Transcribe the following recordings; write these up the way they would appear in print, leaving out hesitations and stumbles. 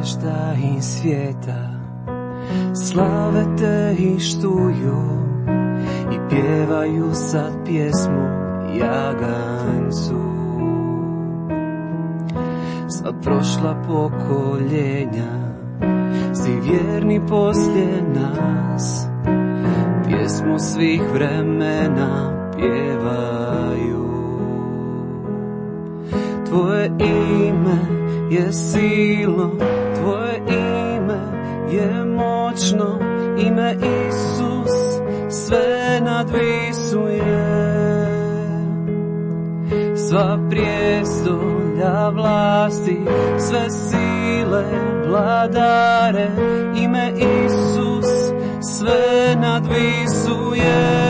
zvijezda i svijeta slave te i štuju i pjevaju sad pjesmu jaganjcu. Sva prošla pokoljenja si vjerni poslije nas, pjesmu svih vremena pjevaju. Tvoje ime je silno, tvoje ime je moćno, ime Isus sve nadvisuje. Sva prijestolja vlasti, sve sile vladare, ime Isus sve nadvisuje.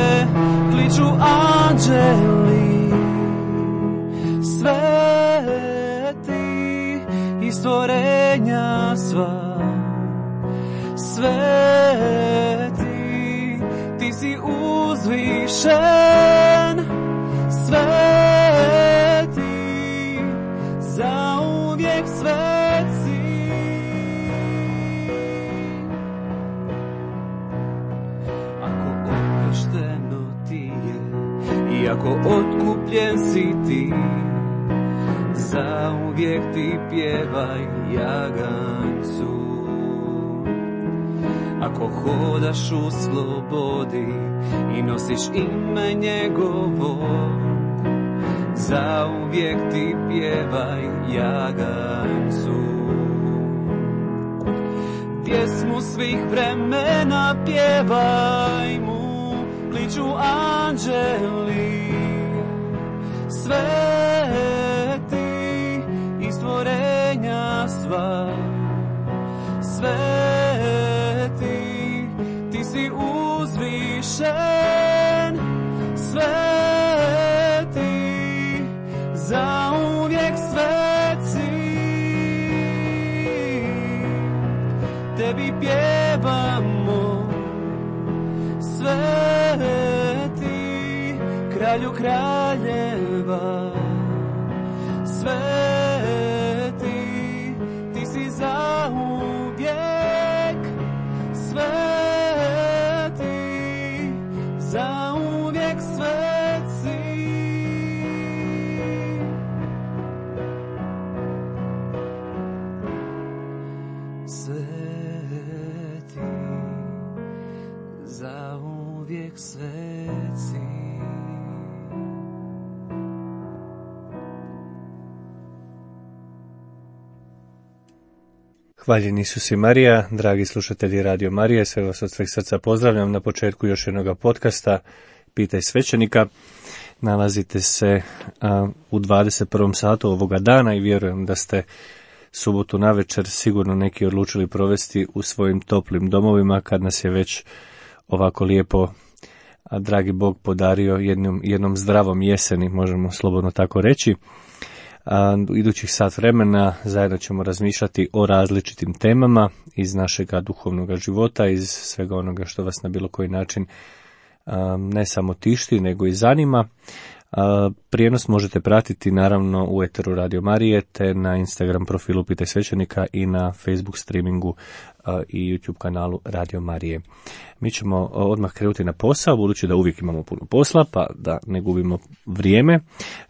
Kliču anđeli sveti i stvorenja sva, sveti, ti si uzvišen, sveti, zauvijek sveci. Ako oprošteno ti je i ako otkupljen si ti, zauvijek ti pjevaj jaganjcu. Ako hodaš u slobodi i nosiš ime njegovo, zauvijek ti pjevaj jaganjcu. Pjesmu svih vremena pjevaj mu, kliču anđeli sveti i stvorenja sva, sveti, ti si uzvišen, sveti, zauvijek sveci. Tebi pjevamo, sveti, kralju kraljeva, sveti, ti si zauvijek sveti, zauvijek sveci. Sveti, zauvijek sveci. Hvaljen Isus i Marija, dragi slušatelji Radio Marije, sve vas od sveg srca pozdravljam na početku još jednog podcasta Pitaj svećenika. Nalazite se u 21. satu ovoga dana i vjerujem da ste subotu navečer sigurno neki odlučili provesti u svojim toplim domovima kad nas je već ovako lijepo dragi Bog podario jednom zdravom jeseni, možemo slobodno tako reći. U idućih sat vremena zajedno ćemo razmišljati o različitim temama iz našega duhovnog života, iz svega onoga što vas na bilo koji način ne samo tišti, nego i zanima. Prijenos možete pratiti naravno u eteru Radio Marije, te na Instagram profilu Pitaj svećenika i na Facebook streamingu i YouTube kanalu Radio Marije. Mi ćemo odmah krenuti na posao, budući da uvijek imamo puno posla, pa da ne gubimo vrijeme.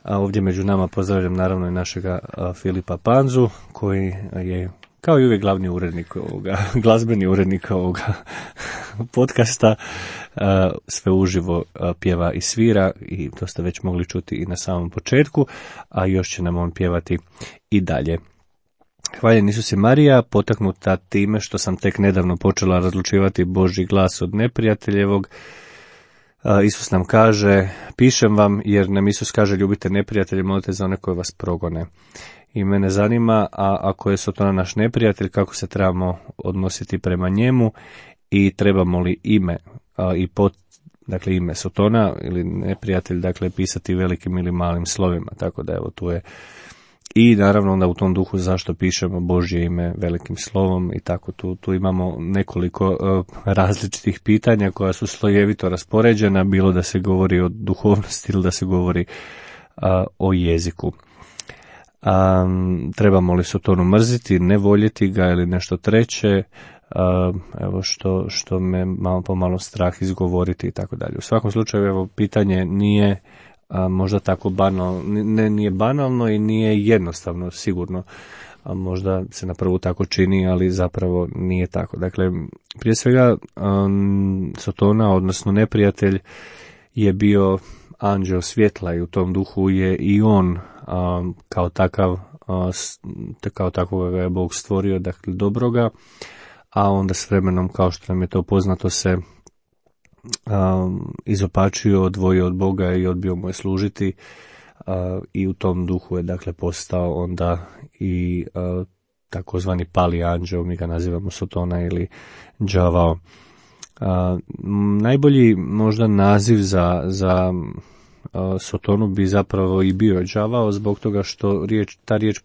Ovdje među nama pozdravljam naravno i našega Filipa Panzu, koji je kao i uvijek glavni urednik ovoga, glazbeni urednik ovoga podcasta, sve uživo pjeva i svira i to ste već mogli čuti i na samom početku, a još će nam on pjevati i dalje. Hvaljen Isus i Marija, potaknuta time što sam tek nedavno počela razlučivati Božji glas od neprijateljevog. Isus nam kaže, pišem vam jer nam Isus kaže ljubite neprijatelje, molite za one koje vas progone. I mene zanima, a ako je Sotona naš neprijatelj, kako se trebamo odnositi prema njemu i trebamo li ime dakle ime Sotona ili neprijatelj, dakle pisati velikim ili malim slovima, tako da evo tu je. I naravno onda u tom duhu zašto pišemo Božje ime velikim slovom i tako tu imamo nekoliko različitih pitanja koja su slojevito raspoređena, bilo da se govori o duhovnosti ili da se govori o jeziku. Trebamo li Sotonu mrziti, ne voljeti ga ili nešto treće, evo što me malo pomalo strah izgovoriti i tako dalje. U svakom slučaju, evo, pitanje nije možda tako banalno, nije banalno i nije jednostavno, sigurno. Možda se na prvu tako čini, ali zapravo nije tako. Dakle, prije svega Sotona, odnosno neprijatelj, je bio anđeo svjetla i u tom duhu je i on kao takvog ga je Bog stvorio, dakle dobroga, a onda s vremenom, kao što nam je to poznato, se izopačio, odvojio od Boga i odbio mu je služiti, i u tom duhu je dakle postao onda i takozvani pali anđeo, mi ga nazivamo Sotona ili đavao. Najbolji možda naziv za Sotonu bi zapravo i bio đavao, zbog toga što ta riječ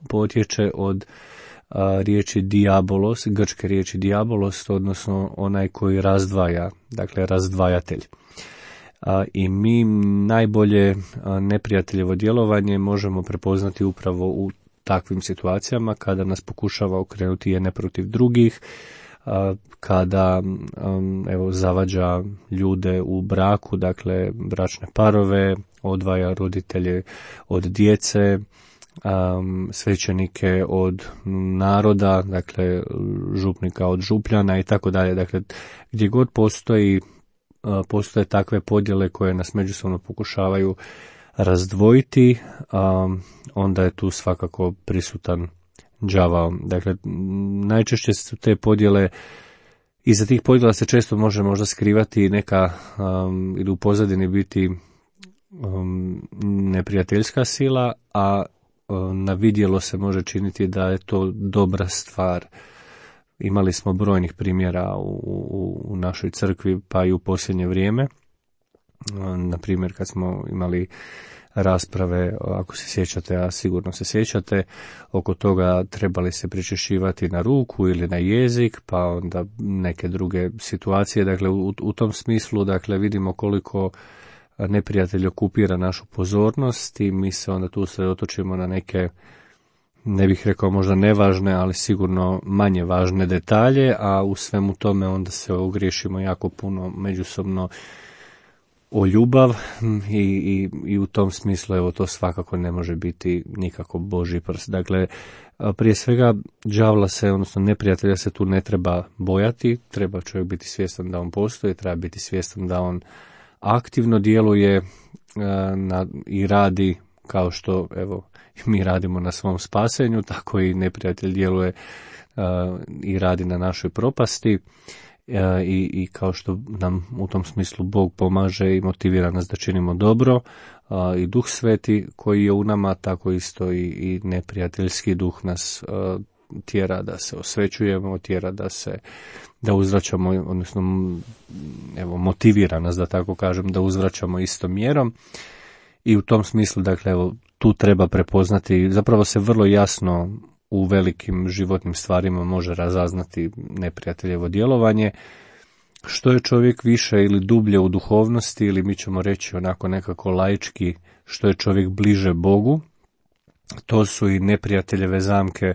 potječe od riječi diabolos, grčke riječi diabolos, odnosno onaj koji razdvaja, dakle razdvajatelj. I mi najbolje neprijateljevo djelovanje možemo prepoznati upravo u takvim situacijama, kada nas pokušava okrenuti jedne protiv drugih, kada zavađa ljude u braku, dakle bračne parove, odvaja roditelje od djece, svećenike od naroda, dakle župnika od župljana i tako dalje. Dakle, gdje god postoje takve podjele koje nas međusobno pokušavaju razdvojiti, onda je tu svakako prisutan đavao. Dakle, najčešće su te podjele, iza tih podjela se često može možda skrivati neka ili u pozadini biti neprijateljska sila, a na vidjelo se može činiti da je to dobra stvar. Imali smo brojnih primjera u našoj crkvi, pa i u posljednje vrijeme. Na primjer, kad smo imali rasprave, ako se sjećate, a sigurno se sjećate, oko toga trebali se pričešćivati na ruku ili na jezik, pa onda neke druge situacije. Dakle, u tom smislu, dakle, vidimo koliko neprijatelj okupira našu pozornost i mi se onda tu sredotočimo na neke, ne bih rekao možda nevažne, ali sigurno manje važne detalje, a u svemu tome onda se ogriješimo jako puno međusobno o ljubav i u tom smislu, evo, to svakako ne može biti nikako Božji prst. Dakle, prije svega đavla se, odnosno neprijatelja se tu ne treba bojati, treba čovjek biti svjestan da on postoji, treba biti svjestan da on aktivno djeluje i radi kao što, evo, mi radimo na svom spasenju, tako i neprijatelj djeluje i radi na našoj propasti, i kao što nam u tom smislu Bog pomaže i motivira nas da činimo dobro, i Duh Sveti koji je u nama, tako isto i neprijateljski duh nas tjera da se osvećujemo, tjera da uzvraćamo, odnosno evo, motivira nas, da tako kažem, da uzvraćamo istom mjerom. I u tom smislu, dakle, evo, tu treba prepoznati, zapravo se vrlo jasno u velikim životnim stvarima može razaznati neprijateljevo djelovanje. Što je čovjek više ili dublje u duhovnosti, ili mi ćemo reći onako nekako laički, što je čovjek bliže Bogu, to su i neprijateljeve zamke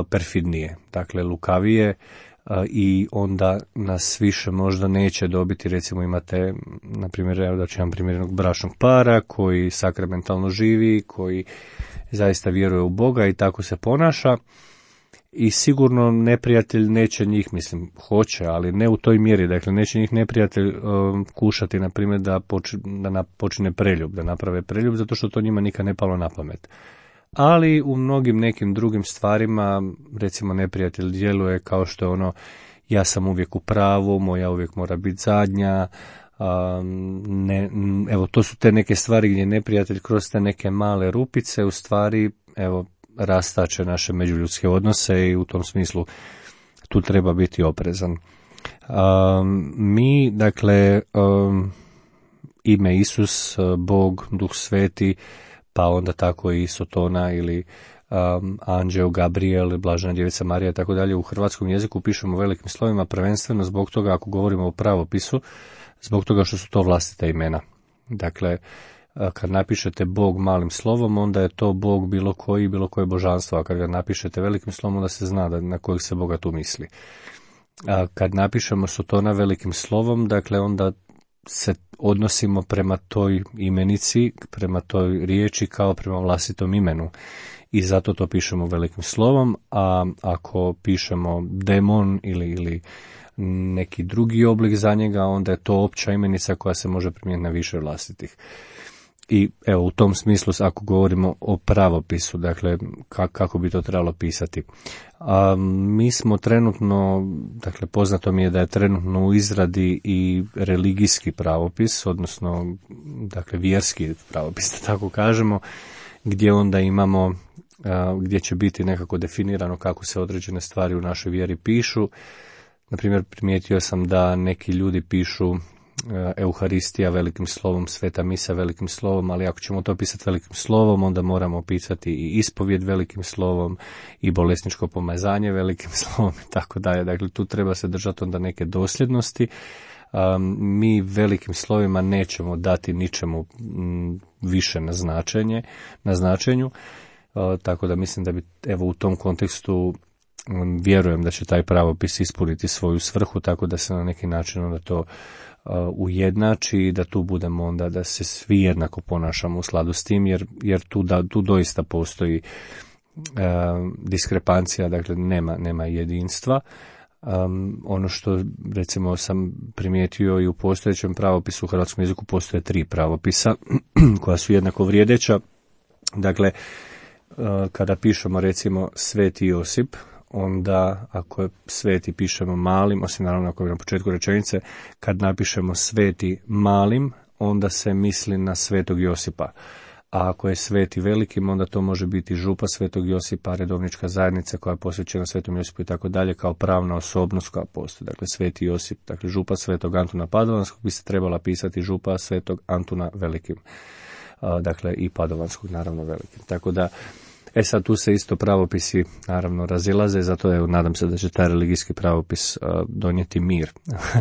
perfidnije, dakle lukavije, i onda nas više možda neće dobiti. Recimo imate, na primjer, evo da ću vam primjer jednog bračnog para koji sakramentalno živi, koji zaista vjeruje u Boga i tako se ponaša, i sigurno neprijatelj neće njih, mislim, hoće, ali ne u toj mjeri, dakle neće njih neprijatelj kušati, na primjer, da počine preljub, da naprave preljub, zato što to njima nikad ne palo na pamet. Ali u mnogim nekim drugim stvarima, recimo, neprijatelj djeluje kao što je ono, ja sam uvijek u pravu, moja uvijek mora biti zadnja, evo, to su te neke stvari gdje neprijatelj kroz te neke male rupice u stvari, evo, rastače naše međuljudske odnose, i u tom smislu tu treba biti oprezan. Mi, dakle, ime Isus, Bog, Duh Sveti, pa onda tako i Sotona ili anđeo Gabriel, Blažena djevica Marija i tako dalje, u hrvatskom jeziku pišemo velikim slovima, prvenstveno zbog toga, ako govorimo o pravopisu, zbog toga što su to vlastita imena. Dakle, kad napišete Bog malim slovom, onda je to Bog bilo koje božanstvo, a kad ga napišete velikim slovom, onda se zna na kojeg se Boga tu misli. A kad napišemo Sotona velikim slovom, dakle onda se odnosimo prema toj imenici, prema toj riječi kao prema vlastitom imenu. I zato to pišemo velikim slovom, a ako pišemo demon ili neki drugi oblik za njega, onda je to opća imenica koja se može primijeniti na više vlastitih. I evo, u tom smislu, ako govorimo o pravopisu, dakle, kako bi to trebalo pisati. Mi smo trenutno, dakle, poznato mi je da je trenutno u izradi i religijski pravopis, odnosno, dakle, vjerski pravopis, da tako kažemo, gdje onda imamo, gdje će biti nekako definirano kako se određene stvari u našoj vjeri pišu. Naprimjer, primijetio sam da neki ljudi pišu Euharistija velikim slovom, Sveta misa velikim slovom, ali ako ćemo to pisati velikim slovom, onda moramo pisati i ispovjed velikim slovom i bolesničko pomazanje velikim slovom i tako dalje. Dakle, tu treba se držati onda neke dosljednosti. Mi velikim slovima nećemo dati ničemu više na značenju, tako da mislim da bi, evo, u tom kontekstu vjerujem da će taj pravopis ispuniti svoju svrhu, tako da se na neki način onda to ujednači i da tu budemo onda, da se svi jednako ponašamo u skladu s tim, jer tu doista postoji diskrepancija, dakle nema jedinstva. Ono što recimo sam primijetio i u postojećem pravopisu u hrvatskom jeziku postoje 3 pravopisa koja su jednako vrijedeća. Dakle, kada pišemo recimo Sveti Josip, onda ako je sveti pišemo malim, osim naravno ako je na početku rečenice, kad napišemo sveti malim, onda se misli na Svetog Josipa. A ako je sveti velikim, onda to može biti župa Svetog Josipa, redovnička zajednica koja je posvećena Svetom Josipu i tako dalje, kao pravna osobnost koja postoji. Dakle, Sveti Josip, dakle župa Svetog Antuna Padovanskog bi se trebala pisati župa Svetog Antuna velikim. Dakle, i Padovanskog naravno velikim. Tako da, sad tu se isto pravopisi naravno razilaze, zato evo, nadam se da će taj religijski pravopis donijeti mir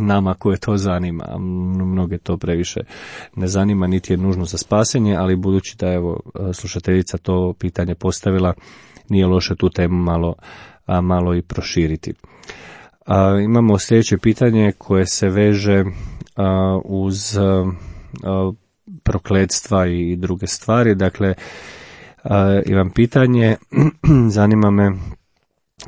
nama koje to zanima. Mnoge to previše ne zanima, niti je nužno za spasenje, ali budući da evo slušateljica to pitanje postavila, nije loše tu temu malo i proširiti. Imamo sljedeće pitanje koje se veže uz prokletstva i druge stvari. Dakle, imam pitanje, zanima me,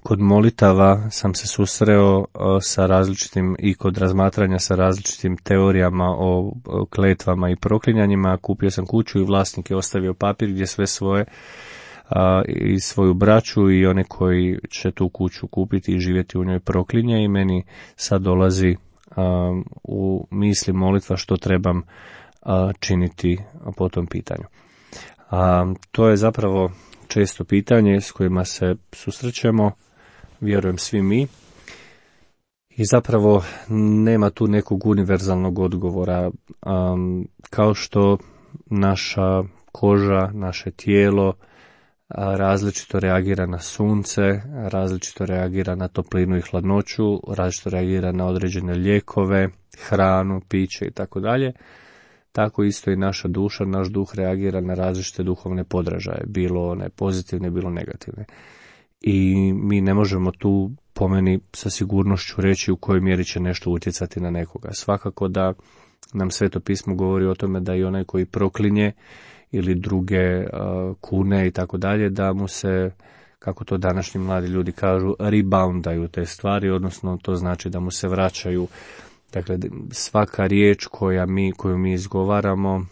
kod molitava sam se susreo sa različitim i kod razmatranja sa različitim teorijama o kletvama i proklinjanjima. Kupio sam kuću i vlasnik je ostavio papir gdje sve svoje i svoju braću i one koji će tu kuću kupiti i živjeti u njoj proklinje, i meni sad dolazi u misli molitva što trebam činiti po tom pitanju. To je zapravo često pitanje s kojima se susrećemo, vjerujem svi mi, i zapravo nema tu nekog univerzalnog odgovora. Kao što naša koža, naše tijelo različito reagira na sunce, različito reagira na toplinu i hladnoću, različito reagira na određene lijekove, hranu, piće i tako dalje, tako isto i naša duša, naš duh reagira na različite duhovne podražaje, bilo one pozitivne, bilo negativne. I mi ne možemo tu, po meni, sa sigurnošću reći u kojoj mjeri će nešto utjecati na nekoga. Svakako da nam Sveto pismo govori o tome da i onaj koji proklinje ili druge kune i tako dalje, da mu se, kako to današnji mladi ljudi kažu, reboundaju te stvari, odnosno to znači da mu se vraćaju. Dakle, svaka riječ koju mi izgovaramo,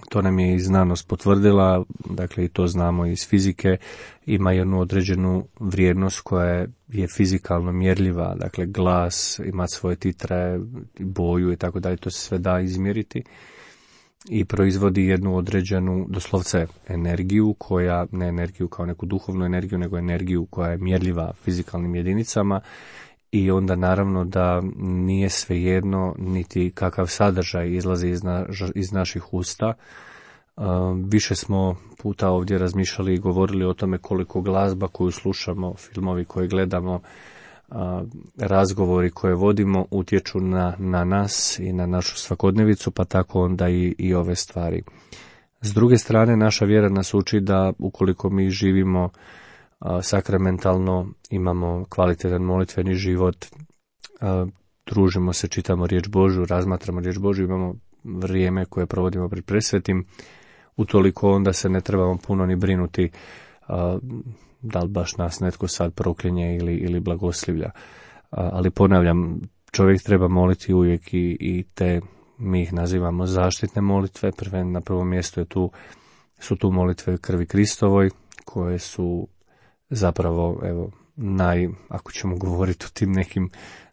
to nam je i znanost potvrdila, dakle i to znamo iz fizike, ima jednu određenu vrijednost koja je fizikalno mjerljiva, dakle glas ima svoje titre, boju i tako dalje, to se sve da izmjeriti i proizvodi jednu određenu, doslovce, energiju, koja, ne energiju kao neku duhovnu energiju, nego energiju koja je mjerljiva fizikalnim jedinicama. I onda naravno da nije svejedno niti kakav sadržaj izlazi iz naših usta. Više smo puta ovdje razmišljali i govorili o tome koliko glazba koju slušamo, filmovi koje gledamo, razgovori koje vodimo utječu na nas i na našu svakodnevicu, pa tako onda i ove stvari. S druge strane, naša vjera nas uči da ukoliko mi živimo sakramentalno, imamo kvalitetan molitveni život, družimo se, čitamo riječ Božju, razmatramo riječ Božju, imamo vrijeme koje provodimo pred presvetim, utoliko onda se ne trebamo puno ni brinuti da li baš nas netko sad proklinje ili blagoslivlja. Ali ponavljam, čovjek treba moliti uvijek i te, mi ih nazivamo zaštitne molitve. Na prvom mjestu su tu molitve krvi Kristovoj, koje su zapravo, ako ćemo govoriti o tim nekim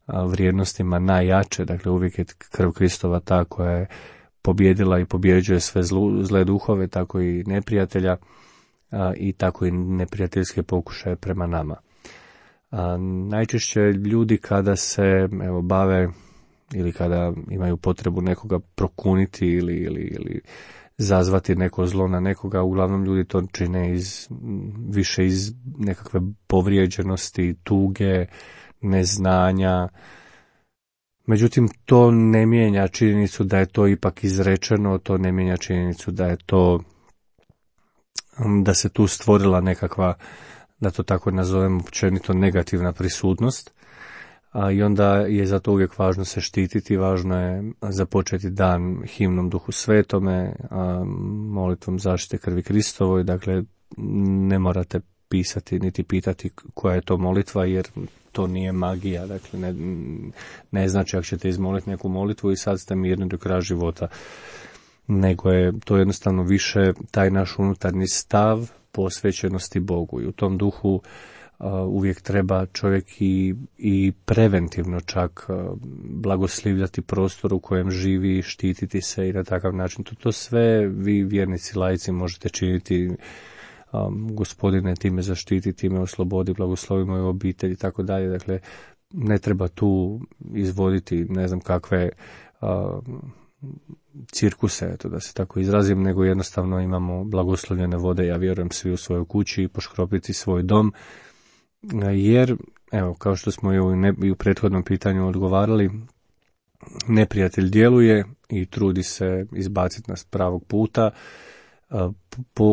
vrijednostima, najjače. Dakle, uvijek je krv Kristova ta koja je pobjedila i pobjeđuje sve zle duhove, tako i neprijatelja, i tako i neprijateljske pokušaje prema nama. Najčešće ljudi kada se bave ili kada imaju potrebu nekoga prokuniti ili zazvati neko zlo na nekoga, uglavnom ljudi to čine više iz nekakve povrijeđenosti, tuge, neznanja. Međutim, to ne mijenja činjenicu da je to ipak izrečeno, to ne mijenja činjenicu da se tu stvorila nekakva, da to tako nazovem, općenito negativna prisutnost, i onda je zato uvijek važno se štititi, važno je započeti dan himnom Duhu Svetome, molitvom zaštite krvi Kristovoj. Dakle, ne morate pisati niti pitati koja je to molitva, jer to nije magija. Dakle, ne znači ako ćete izmoliti neku molitvu i sad ste mirni do kraja života, nego je to jednostavno više taj naš unutarnji stav posvećenosti Bogu, i u tom duhu uvijek treba čovjek i preventivno čak blagoslivljati prostor u kojem živi, štititi se i na takav način. To sve vi, vjernici, laici, možete činiti. Gospodine, ti me zaštiti, ti me oslobodi, blagoslovi moju obitelj i tako dalje. Dakle, ne treba tu izvoditi ne znam kakve cirkuse, eto da se tako izrazim, nego jednostavno imamo blagoslovljene vode, ja vjerujem, svi u svojoj kući, i poškropiti svoj dom, jer, evo, kao što smo i u prethodnom pitanju odgovarali, neprijatelj djeluje i trudi se izbaciti nas pravog puta.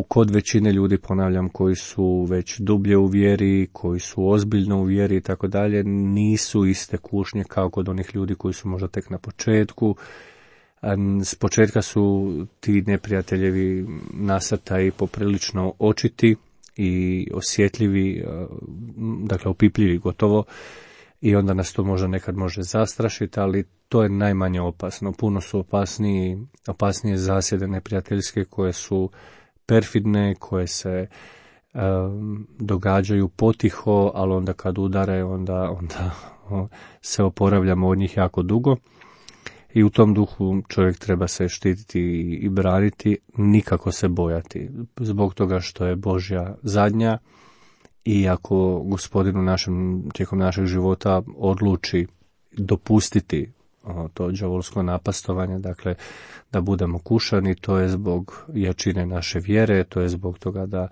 Kod većine ljudi, ponavljam, koji su već dublje u vjeri, koji su ozbiljno u vjeri i tako dalje, nisu iste kušnje kao kod onih ljudi koji su možda tek na početku. S početka su ti neprijateljevi nasrtaji poprilično očiti i osjetljivi, dakle opipljivi gotovo, i onda nas to možda nekad može zastrašiti, ali to je najmanje opasno. Puno su opasnije zasjede neprijateljske, koje su perfidne, koje se događaju potiho, ali onda kad udare, onda se oporavljamo od njih jako dugo. I u tom duhu čovjek treba se štititi i braniti, nikako se bojati, zbog toga što je Božja zadnja, i ako Gospodin tijekom našeg života odluči dopustiti to đavolsko napastovanje, dakle da budemo kušani, to je zbog jačine naše vjere, to je zbog toga da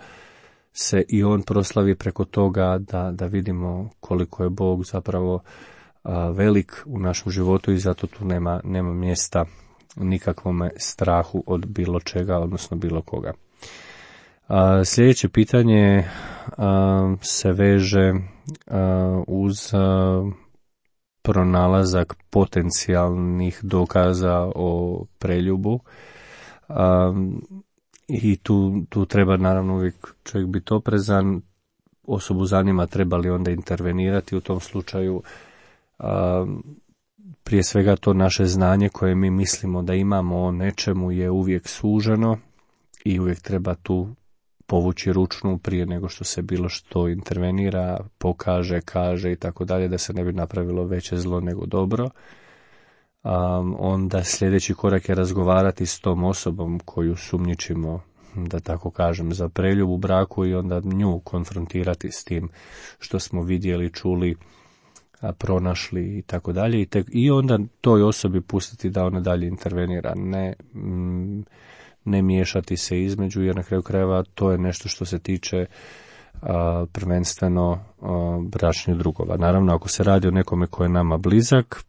se i on proslavi preko toga, da vidimo koliko je Bog zapravo velik u našem životu, i zato tu nema mjesta nikakvome strahu od bilo čega, odnosno bilo koga. Sljedeće pitanje se veže uz pronalazak potencijalnih dokaza o preljubu, i tu treba naravno uvijek čovjek biti oprezan. Osobu zanima treba li onda intervenirati u tom slučaju. Prije svega to naše znanje koje mi mislimo da imamo o nečemu je uvijek suženo i uvijek treba tu povući ručnu prije nego što se bilo što intervenira, pokaže, kaže i tako dalje, da se ne bi napravilo veće zlo nego dobro. Onda sljedeći korak je razgovarati s tom osobom koju sumnjičimo, da tako kažem, za preljub u braku, i onda nju konfrontirati s tim što smo vidjeli, čuli, pronašli i tako dalje, i onda toj osobi pustiti da ona dalje intervenira, ne miješati se između, jer na kraju krajeva to je nešto što se tiče prvenstveno bračnih drugova. Naravno, ako se radi o nekome ko je nama blizak,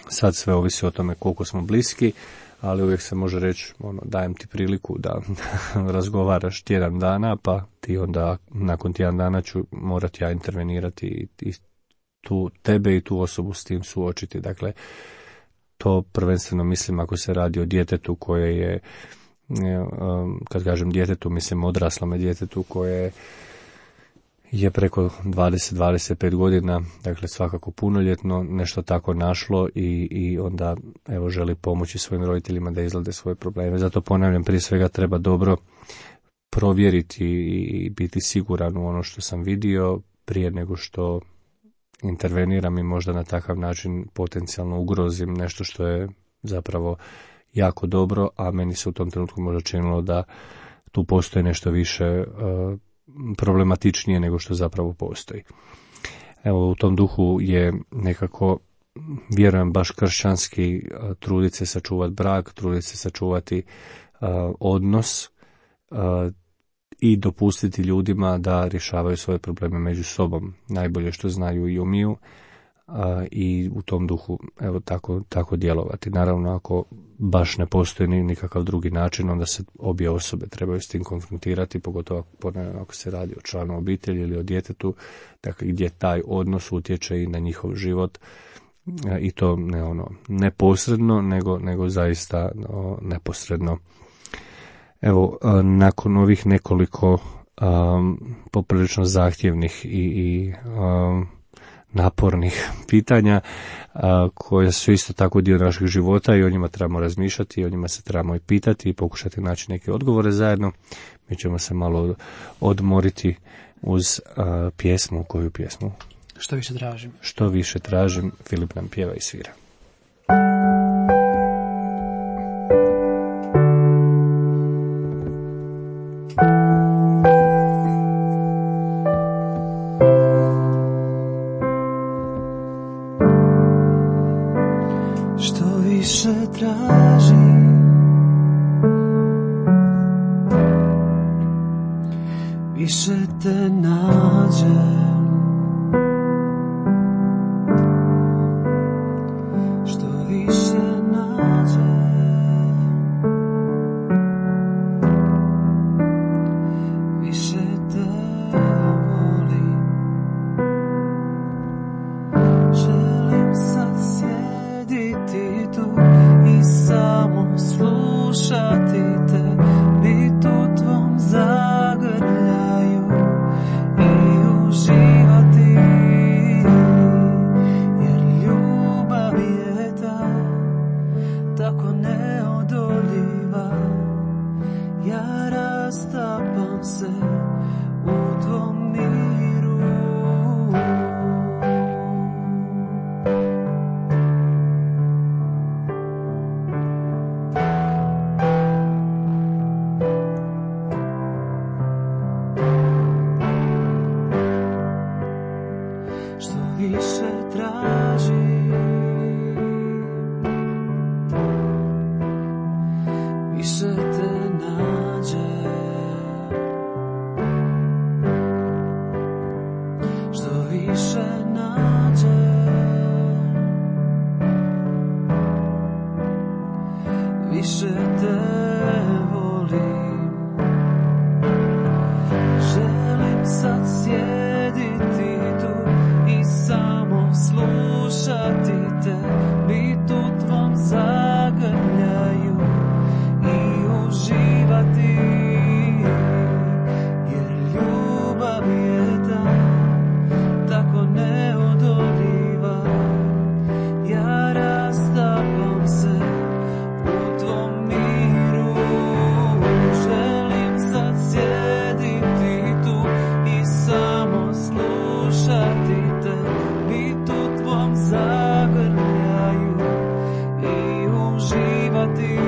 sad sve ovisi o tome koliko smo bliski, ali uvijek se može reći, dajem ti priliku da razgovaraš tjedan dana, pa ti onda nakon tjedan dana ću morati ja intervenirati i tu tebe i tu osobu s tim suočiti. Dakle, to prvenstveno mislim ako se radi o djetetu koje je, kad kažem djetetu, mislim odraslome djetetu koje je preko 20-25 godina, dakle svakako punoljetno, nešto tako našlo i onda evo želi pomoći svojim roditeljima da izlade svoje probleme. Zato ponavljam, prije svega treba dobro provjeriti i biti siguran u ono što sam vidio prije nego što interveniram i možda na takav način potencijalno ugrozim nešto što je zapravo jako dobro, a meni se u tom trenutku možda činilo da tu postoji nešto više problematičnije nego što zapravo postoji. Evo, u tom duhu je nekako, vjerujem, baš kršćanski truditi se sačuvati brak, truditi se sačuvati odnos i dopustiti ljudima da rješavaju svoje probleme među sobom, najbolje što znaju i umiju, i u tom duhu evo tako djelovati. Naravno, ako baš ne postoji nikakav drugi način, onda se obje osobe trebaju s tim konfrontirati, pogotovo ako se radi o članu obitelji ili o djetetu, dakle gdje taj odnos utječe i na njihov život, i to ne posredno, nego zaista neposredno. Evo, nakon ovih nekoliko poprilično zahtjevnih i napornih pitanja koje su isto tako dio naših života i o njima trebamo razmišljati, i o njima se trebamo i pitati i pokušati naći neke odgovore zajedno. Mi ćemo se malo odmoriti uz pjesmu. Koju pjesmu? Što više tražim. Što više tražim, Filip nam pjeva i svira. Više te nađem, što više nađem, više te volim. Želim sad sjediti tu i samo slušati te, bit u tvom zagrljaju i uživati, jer ljubav je tako neodoljiva. Ja rastapam se u tvom miru. Što više tražim, više te nađem. Što više nađem, više te volim. Želim sad sjediti tu i samo slušati te, bit u tvom zagrljaju i uživati, jer ljubav je tako neodoljiva. Ja rastapam se u tvom miru. Želim sad sjediti tu i samo slušati te, bit u tvom zagrljaju i uživati,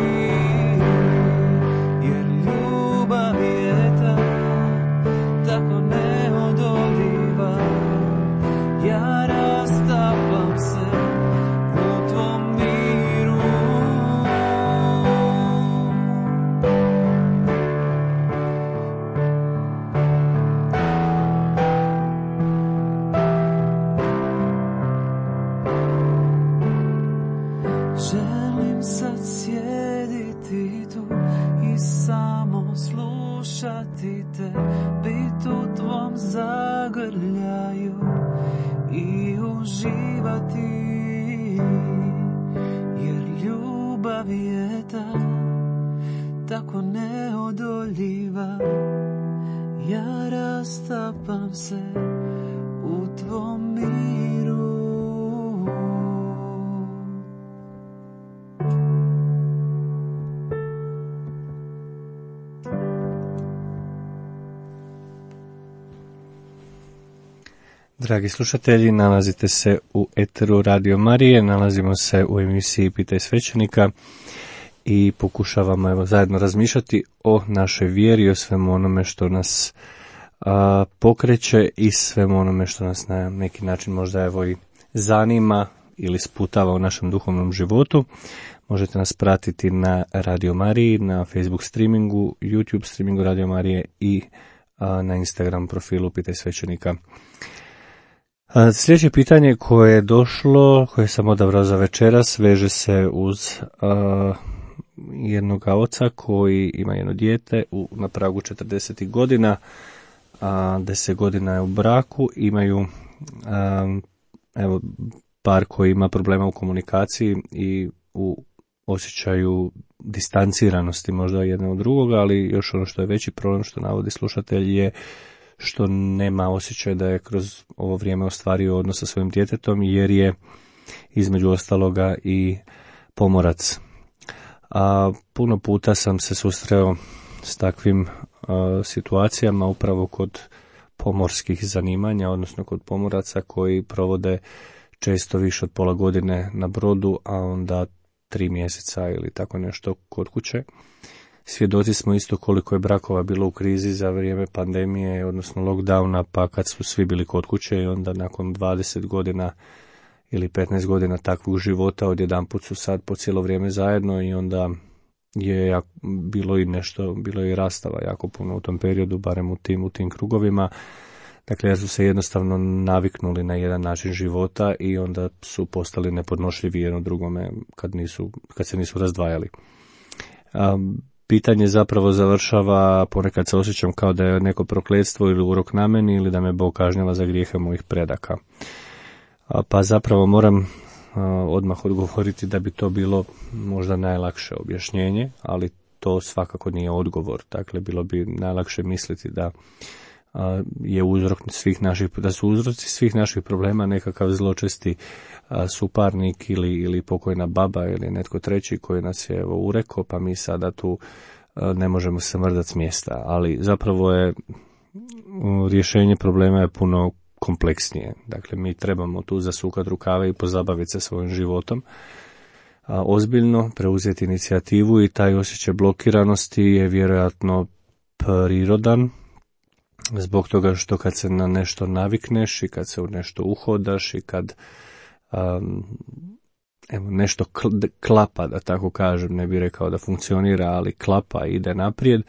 jer ljubav je tako neodoljiva. Ja rastapam se u tvom miru. znaju i uživati, jer ljubav je tako neodoljiva. Ja rastapam se u tvom miru. Dragi slušatelji, nalazite se u eteru Radio Marije, nalazimo se u emisiji Pitaj svećenika i pokušavamo zajedno razmišljati o našoj vjeri, o svemu onome što nas pokreće i svemu onome što nas na neki način možda i zanima ili sputava u našem duhovnom životu. Možete nas pratiti na Radio Mariji, na Facebook streamingu, YouTube streamingu Radio Marije i na Instagram profilu Pitaj svećenika. Sljedeće pitanje koje je došlo, koje sam odabrao za večeras, veže se uz jednog oca koji ima jedno dijete na pragu 40 godina, 10 godina je u braku, imaju par koji ima problema u komunikaciji i u osjećaju distanciranosti možda jedne od drugoga, ali još ono što je veći problem što navodi slušatelj je što nema osjećaj da je kroz ovo vrijeme ostvario odnos sa svojim djetetom, jer je između ostaloga i pomorac. Puno puta sam se susreo s takvim situacijama upravo kod pomorskih zanimanja, odnosno kod pomoraca koji provode često više od pola godine na brodu, a onda 3 mjeseca ili tako nešto kod kuće. Svjedoci smo isto koliko je brakova bilo u krizi za vrijeme pandemije, odnosno lockdowna, pa kad su svi bili kod kuće i onda nakon 20 godina ili 15 godina takvog života odjedanput su sad po cijelo vrijeme zajedno i onda je bilo i rastava jako puno u tom periodu, barem u tim krugovima. Dakle, jer su se jednostavno naviknuli na jedan način života i onda su postali nepodnošljivi jedno drugome kad se nisu razdvajali. Pitanje zapravo završava, ponekad se osjećam kao da je neko prokletstvo ili urok na meni ili da me Bog kažnjava za grijehe mojih predaka. Pa zapravo moram odmah odgovoriti da bi to bilo možda najlakše objašnjenje, ali to svakako nije odgovor. Dakle, bilo bi najlakše misliti da je da su uzroci svih naših problema nekakav zločesti suparnik ili pokojna baba ili netko treći koji nas je urekao, pa mi sada tu ne možemo se mrdati s mjesta. Ali zapravo je rješenje problema je puno kompleksnije. Dakle, mi trebamo tu zasukati rukave i pozabaviti se svojim životom, ozbiljno preuzeti inicijativu i taj osjećaj blokiranosti je vjerojatno prirodan, zbog toga što kad se na nešto navikneš i kad se u nešto uhodaš i kad nešto klapa, da tako kažem, ne bih rekao da funkcionira, ali klapa i ide naprijed,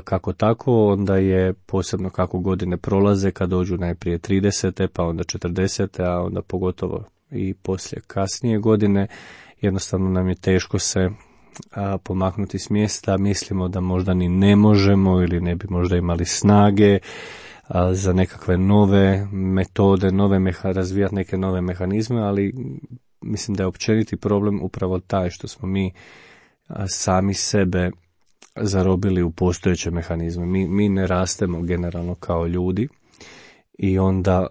kako tako, onda je posebno kako godine prolaze, kad dođu najprije 30. pa onda 40. a onda pogotovo i poslije kasnije godine, jednostavno nam je teško se pomaknuti s mjesta, mislimo da možda ni ne možemo ili ne bi možda imali snage za nekakve nove metode, razvijati neke nove mehanizme, ali mislim da je općeniti problem upravo taj što smo mi sami sebe zarobili u postojeće mehanizme. Mi ne rastemo generalno kao ljudi i onda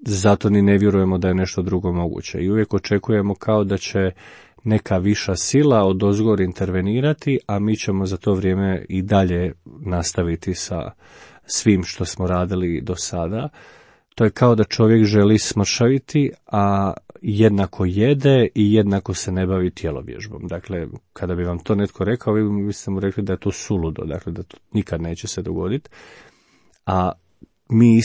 zato ni ne vjerujemo da je nešto drugo moguće i uvijek očekujemo kao da će neka viša sila odozgor intervenirati, a mi ćemo za to vrijeme i dalje nastaviti sa svim što smo radili do sada. To je kao da čovjek želi smršaviti, a jednako jede i jednako se ne bavi tjelovježbom. Dakle, kada bi vam to netko rekao, vi biste mu rekli da je to suludo, dakle da to nikad neće se dogoditi. A mi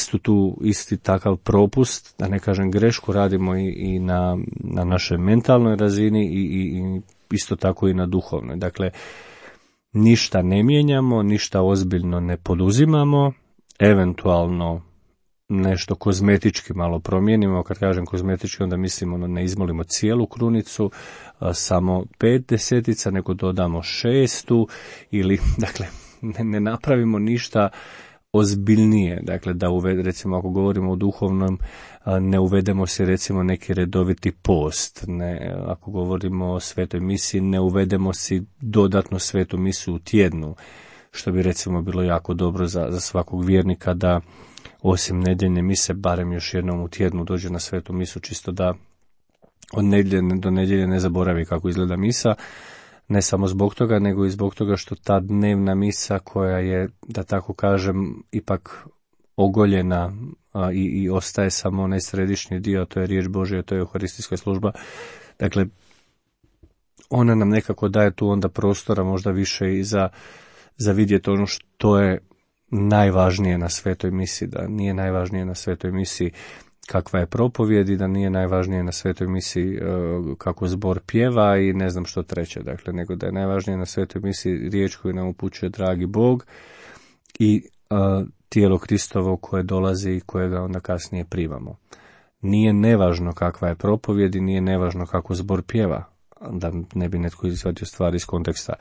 isti takav propust, da ne kažem grešku, radimo i na našoj mentalnoj razini i isto tako i na duhovnoj. Dakle, ništa ne mijenjamo, ništa ozbiljno ne poduzimamo, eventualno nešto kozmetički malo promijenimo. Kad kažem kozmetički, onda mislimo ne izmolimo cijelu krunicu, samo 5 desetica, nego dodamo 6 ili, dakle, ne napravimo ništa ozbiljnije, dakle da recimo ako govorimo o duhovnom, ne uvedemo si recimo neki redoviti post, ne, ako govorimo o svetoj misi, ne uvedemo si dodatno svetu misu u tjednu, što bi recimo bilo jako dobro za svakog vjernika da osim nedjeljne mise barem još jednom u tjednu dođe na svetu misu, čisto da od nedjelje do nedjelje ne zaboravi kako izgleda misa. Ne samo zbog toga, nego i zbog toga što ta dnevna misa koja je, da tako kažem, ipak ogoljena i ostaje samo onaj središnji dio, to je riječ Božja, to je euharistijska služba. Dakle, ona nam nekako daje tu onda prostora možda više i za vidjeti ono što je najvažnije na svetoj misi, da nije najvažnije na svetoj misi kakva je propovijed i da nije najvažnije na svetoj misi kako zbor pjeva i ne znam što treće, dakle, nego da je najvažnije na svetoj misi riječ koju nam upućuje dragi Bog i tijelo Kristovo koje dolazi i kojega onda kasnije primamo. Nije nevažno kakva je propovijed i nije nevažno kako zbor pjeva, da ne bi netko izvadio stvari iz konteksta,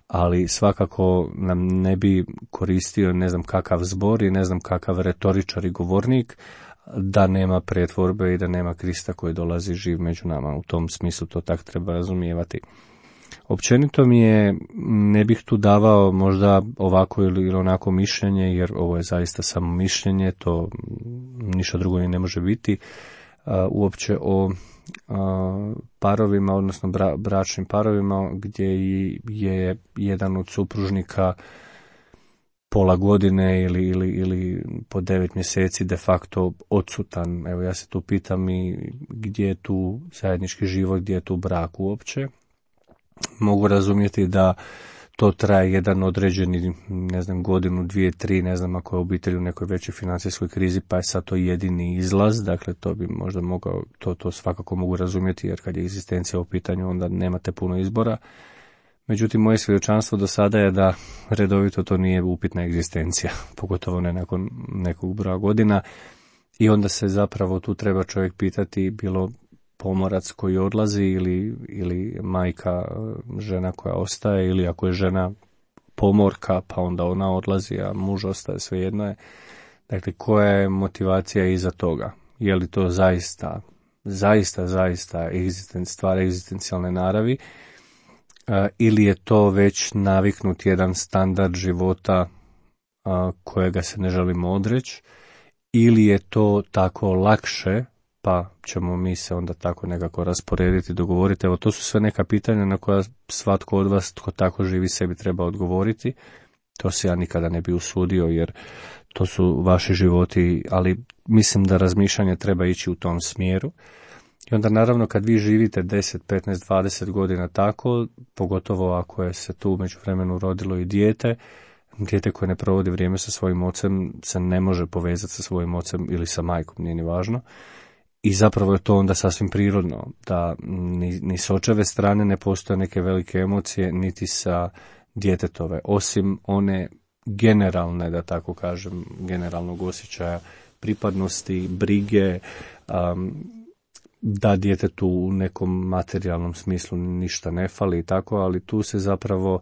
ali svakako nam ne bi koristio ne znam kakav zbor i ne znam kakav retoričar i govornik da nema pretvorbe i da nema Krista koji dolazi živ među nama. U tom smislu to tak treba razumijevati. Općenito mi je, ne bih tu davao možda ovako ili onako mišljenje, jer ovo je zaista samo mišljenje, to ništa drugo ni ne može biti, uopće o parovima, odnosno bračnim parovima gdje je jedan od supružnika pola godine ili po 9 mjeseci de facto odsutan. Evo ja se tu pitam i gdje je tu zajednički život, gdje je tu brak uopće. Mogu razumjeti da to traje jedan određeni, ne znam, godinu, 2, 3, ne znam ako je obitelj u nekoj većoj financijskoj krizi, pa je sad to jedini izlaz, dakle to bi možda mogao, to svakako mogu razumjeti, jer kad je egzistencija u pitanju onda nemate puno izbora. Međutim, moje svjedočanstvo do sada je da redovito to nije upitna egzistencija, pogotovo ne nakon nekog broja godina, i onda se zapravo tu treba čovjek pitati, bilo pomorac koji odlazi ili majka, žena koja ostaje, ili ako je žena pomorka pa onda ona odlazi, a muž ostaje, svejedno je. Dakle, koja je motivacija iza toga? Je li to zaista stvar egzistencijalne naravi, ili je to već naviknut jedan standard života kojega se ne želimo odreći, ili je to tako lakše pa ćemo mi se onda tako nekako rasporediti, dogovoriti. Evo, to su sve neka pitanja na koja svatko od vas tko tako živi sebi treba odgovoriti. To se ja nikada ne bi usudio, jer to su vaši životi, ali mislim da razmišljanje treba ići u tom smjeru. I onda naravno kad vi živite 10, 15, 20 godina tako, pogotovo ako je se tu među vremenu rodilo i dijete koje ne provodi vrijeme sa svojim ocem se ne može povezati sa svojim ocem ili sa majkom, nije ni važno. I zapravo je to onda sasvim prirodno, da ni s očeve strane ne postoje neke velike emocije, niti sa djetetove, osim one generalne, da tako kažem, generalnog osjećaja pripadnosti, brige, da djetetu u nekom materijalnom smislu ništa ne fali i tako, ali tu se zapravo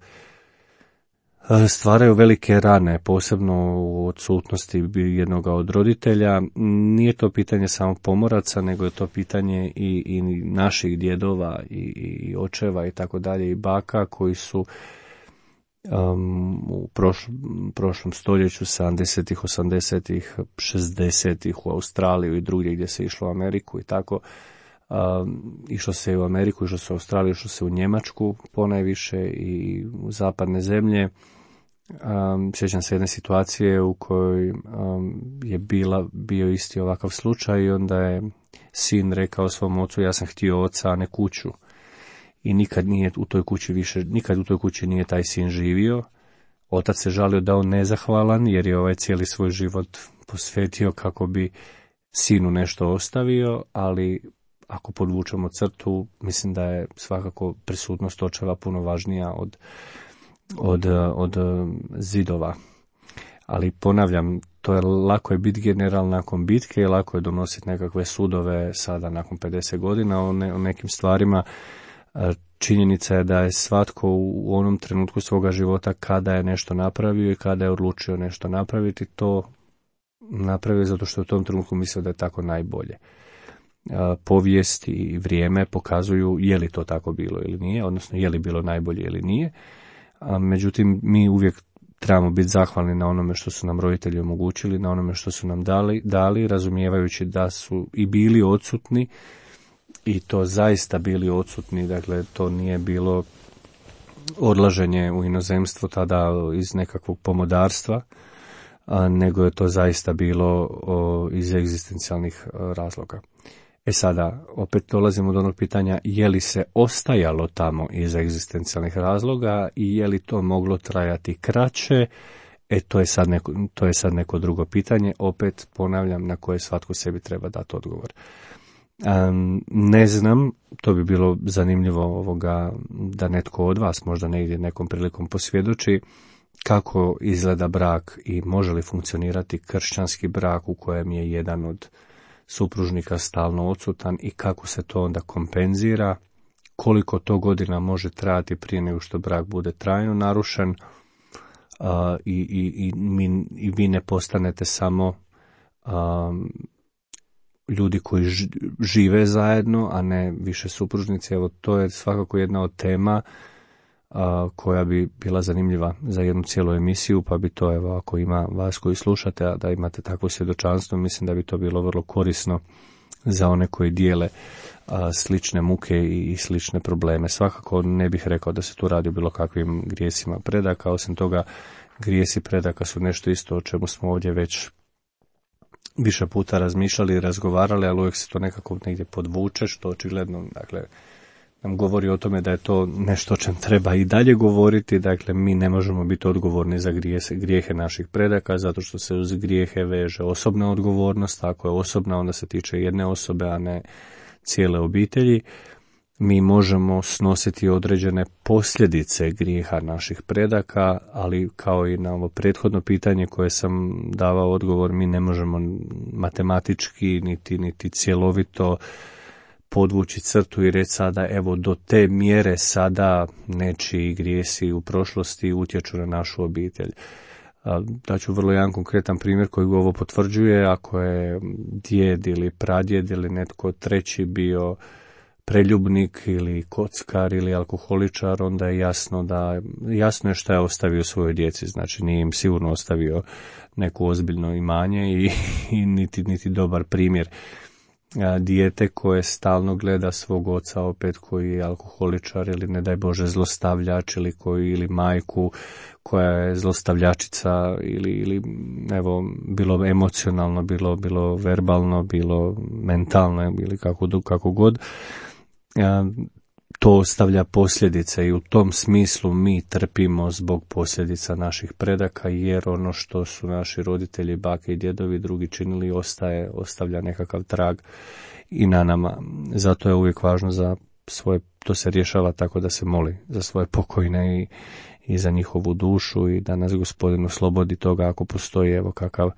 stvaraju velike rane, posebno u odsutnosti jednoga od roditelja. Nije to pitanje samo pomoraca, nego je to pitanje i naših djedova i očeva i tako dalje i baka koji su u prošlom stoljeću, 70-ih, 80-ih, 60-ih u Australiju i drugdje gdje se išlo u Ameriku i tako, išlo se u Ameriku, išlo se u Australiju, išlo se u Njemačku ponajviše i u zapadne zemlje. Sjećam se jedne situacije u kojoj je bio isti ovakav slučaj i onda je sin rekao svom ocu: ja sam htio oca, a ne kuću. I nikad u toj kući nije taj sin živio. Otac se žalio da on nezahvalan, jer je cijeli svoj život posvetio kako bi sinu nešto ostavio, ali ako podvučemo crtu, mislim da je svakako prisutnost očeva puno važnija od zidova. Ali ponavljam, to je lako je biti general nakon bitke i lako je donositi nekakve sudove sada nakon 50 godina o nekim stvarima. činjenica je da je svatko u onom trenutku svoga života kada je nešto napravio i kada je odlučio nešto napraviti, to napravio zato što u tom trenutku mislio da je tako najbolje. Povijest i vrijeme pokazuju je li to tako bilo ili nije, odnosno je li bilo najbolje ili nije. Međutim, mi uvijek trebamo biti zahvalni na onome što su nam roditelji omogućili, na onome što su nam dali, razumijevajući da su i bili odsutni, i to zaista bili odsutni, dakle to nije bilo odlaženje u inozemstvo tada iz nekakvog pomodarstva, nego je to zaista bilo iz egzistencijalnih razloga. Sada, opet dolazimo do onog pitanja je li se ostajalo tamo iz egzistencijalnih razloga i je li to moglo trajati kraće, to je sad neko drugo pitanje, opet ponavljam, na koje svatko sebi treba dati odgovor. Ne znam, to bi bilo zanimljivo da netko od vas možda negdje nekom prilikom posvjedoči kako izgleda brak i može li funkcionirati kršćanski brak u kojem je jedan od supružnika stalno odsutan i kako se to onda kompenzira, koliko to godina može trajati prije nego što brak bude trajno narušen i vi ne postanete samo ljudi koji žive zajedno, a ne više supružnici. Evo, to je svakako jedna od tema koja bi bila zanimljiva za jednu cijelu emisiju, pa bi to, evo, ako ima vas koji slušate, a da imate takvo svjedočanstvo, mislim da bi to bilo vrlo korisno za one koji dijele slične muke i slične probleme. Svakako ne bih rekao da se tu radi o bilo kakvim grijesima predaka, osim toga grijesi predaka su nešto isto o čemu smo ovdje već više puta razmišljali i razgovarali, ali uvijek se to nekako negdje podvuče, što očigledno, dakle, nam govori o tome da je to nešto o čem treba i dalje govoriti. Dakle, mi ne možemo biti odgovorni za grijehe naših predaka, zato što se uz grijehe veže osobna odgovornost. Ako je osobna, onda se tiče jedne osobe, a ne cijele obitelji. Mi možemo snositi određene posljedice grijeha naših predaka, ali kao i na ovo prethodno pitanje koje sam davao odgovor, mi ne možemo matematički niti cjelovito podvući crtu i reći sada, evo, do te mjere sada nečiji grijesi u prošlosti utječu na našu obitelj. Daću vrlo jedan konkretan primjer koji ovo potvrđuje. Ako je djed ili pradjed ili netko treći bio preljubnik ili kockar ili alkoholičar, onda je jasno je što je ostavio svojoj djeci. Znači, nije im sigurno ostavio neko ozbiljno imanje i niti dobar primjer. Dijete koje stalno gleda svog oca opet koji je alkoholičar ili ne daj Bože zlostavljač ili majku koja je zlostavljačica ili evo, bilo emocionalno, bilo verbalno, bilo mentalno ili kako god, to ostavlja posljedice i u tom smislu mi trpimo zbog posljedica naših predaka, jer ono što su naši roditelji, bake i djedovi drugi činili ostavlja nekakav trag i na nama. Zato je uvijek važno za svoje, to se rješava tako da se moli za svoje pokojne i za njihovu dušu i da nas Gospodin oslobodi toga ako postoji evo kakav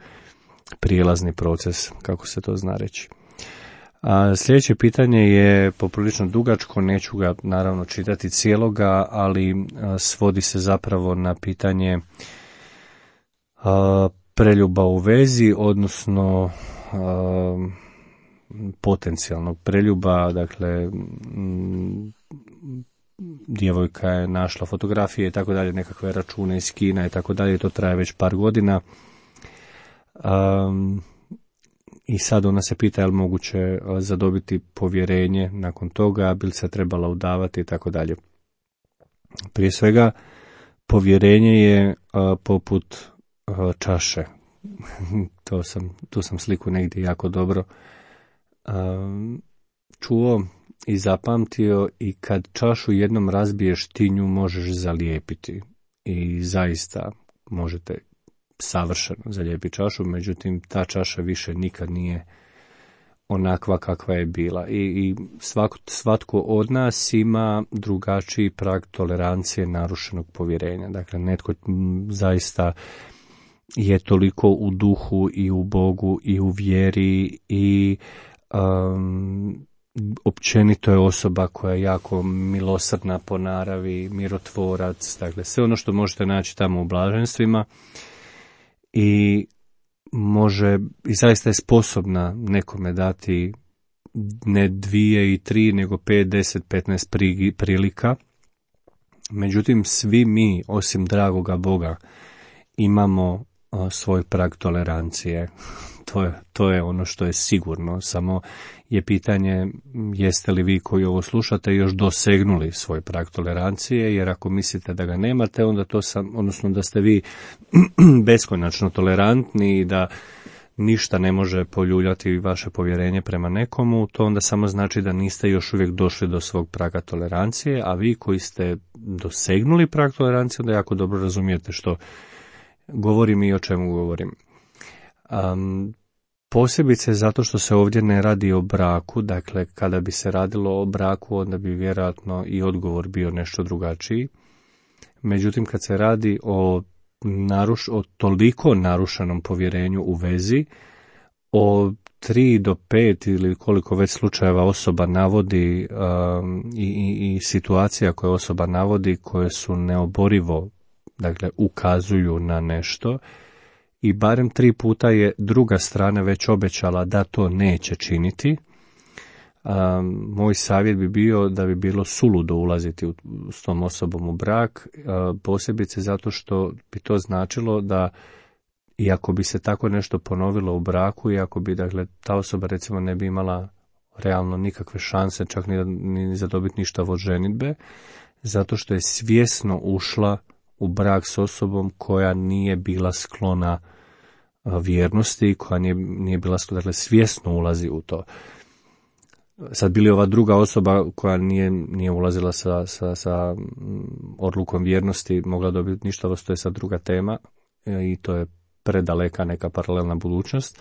prijelazni proces, kako se to zna reći. Sljedeće pitanje je poprilično dugačko, neću ga naravno čitati cijeloga, ali svodi se zapravo na pitanje preljuba u vezi, odnosno potencijalnog preljuba. Dakle, djevojka je našla fotografije i tako dalje, nekakve račune iz Kina i tako dalje, to traje već par godina. I sad ona se pita je li moguće zadobiti povjerenje nakon toga, bi li se trebala udavati i tako dalje. Prije svega, povjerenje je poput čaše. Tu sam sliku negdje jako dobro čuo i zapamtio, i kad čašu jednom razbiješ, ti nju možeš zalijepiti. I zaista možete savršeno zalijepiti čašu, međutim ta čaša više nikad nije onakva kakva je bila. I svatko od nas ima drugačiji prag tolerancije narušenog povjerenja. Dakle, netko zaista je toliko u duhu i u Bogu i u vjeri i općenito je osoba koja je jako milosrdna po naravi, mirotvorac, dakle sve ono što možete naći tamo u blaženstvima i zaista je sposobna nekome dati ne 2 i 3, nego 5, 10, 15 prilika. Međutim, svi mi, osim dragoga Boga, imamo svoj prag tolerancije. To je ono što je sigurno, samo je pitanje jeste li vi koji ovo slušate još dosegnuli svoj prag tolerancije, jer ako mislite da ga nemate, onda odnosno da ste vi beskonačno tolerantni i da ništa ne može poljuljati vaše povjerenje prema nekomu, to onda samo znači da niste još uvijek došli do svog praga tolerancije, a vi koji ste dosegnuli prag tolerancije, onda jako dobro razumijete što govorim i o čemu govorim. Posebice zato što se ovdje ne radi o braku, dakle kada bi se radilo o braku onda bi vjerojatno i odgovor bio nešto drugačiji. Međutim, kad se radi o toliko narušenom povjerenju u vezi, o 3 do 5 ili koliko već slučajeva osoba navodi i situacija koje osoba navodi koje su neoborivo, dakle ukazuju na nešto, i barem 3 puta je druga strana već obećala da to neće činiti. Moj savjet bi bio da bi bilo suludo ulaziti s tom osobom u brak, posebice zato što bi to značilo da iako bi se tako nešto ponovilo u braku, iako bi dakle, ta osoba recimo ne bi imala realno nikakve šanse čak ni za dobiti ništa od ženidbe, zato što je svjesno ušla u brak s osobom koja nije bila sklona vjernosti, koja nije bila sklona, dakle svjesno ulazi u to. Sad bili ova druga osoba koja nije ulazila sa odlukom vjernosti mogla dobiti ništa, to je sad druga tema i to je predaleka neka paralelna budućnost,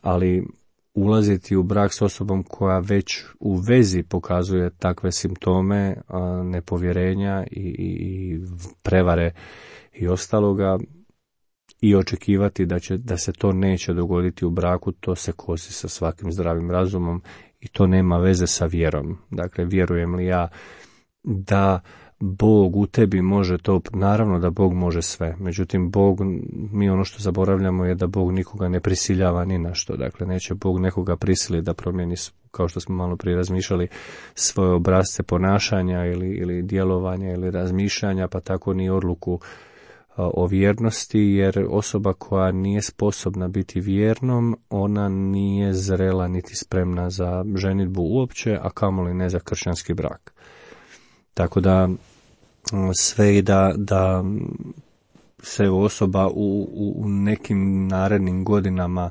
ali ulaziti u brak s osobom koja već u vezi pokazuje takve simptome nepovjerenja i prevare i ostaloga i očekivati da se to neće dogoditi u braku, to se kosi sa svakim zdravim razumom i to nema veze sa vjerom. Dakle, vjerujem li ja da Bog u tebi može to, naravno da Bog može sve, međutim mi ono što zaboravljamo je da Bog nikoga ne prisiljava ni na što, dakle neće Bog nekoga prisiliti da promijeni, kao što smo malo prije razmišljali, svoje obrasce ponašanja ili djelovanja ili razmišljanja, pa tako ni odluku o vjernosti, jer osoba koja nije sposobna biti vjernom, ona nije zrela niti spremna za ženidbu uopće, a kamoli ne za kršćanski brak. Tako da sve i da se osoba u nekim narednim godinama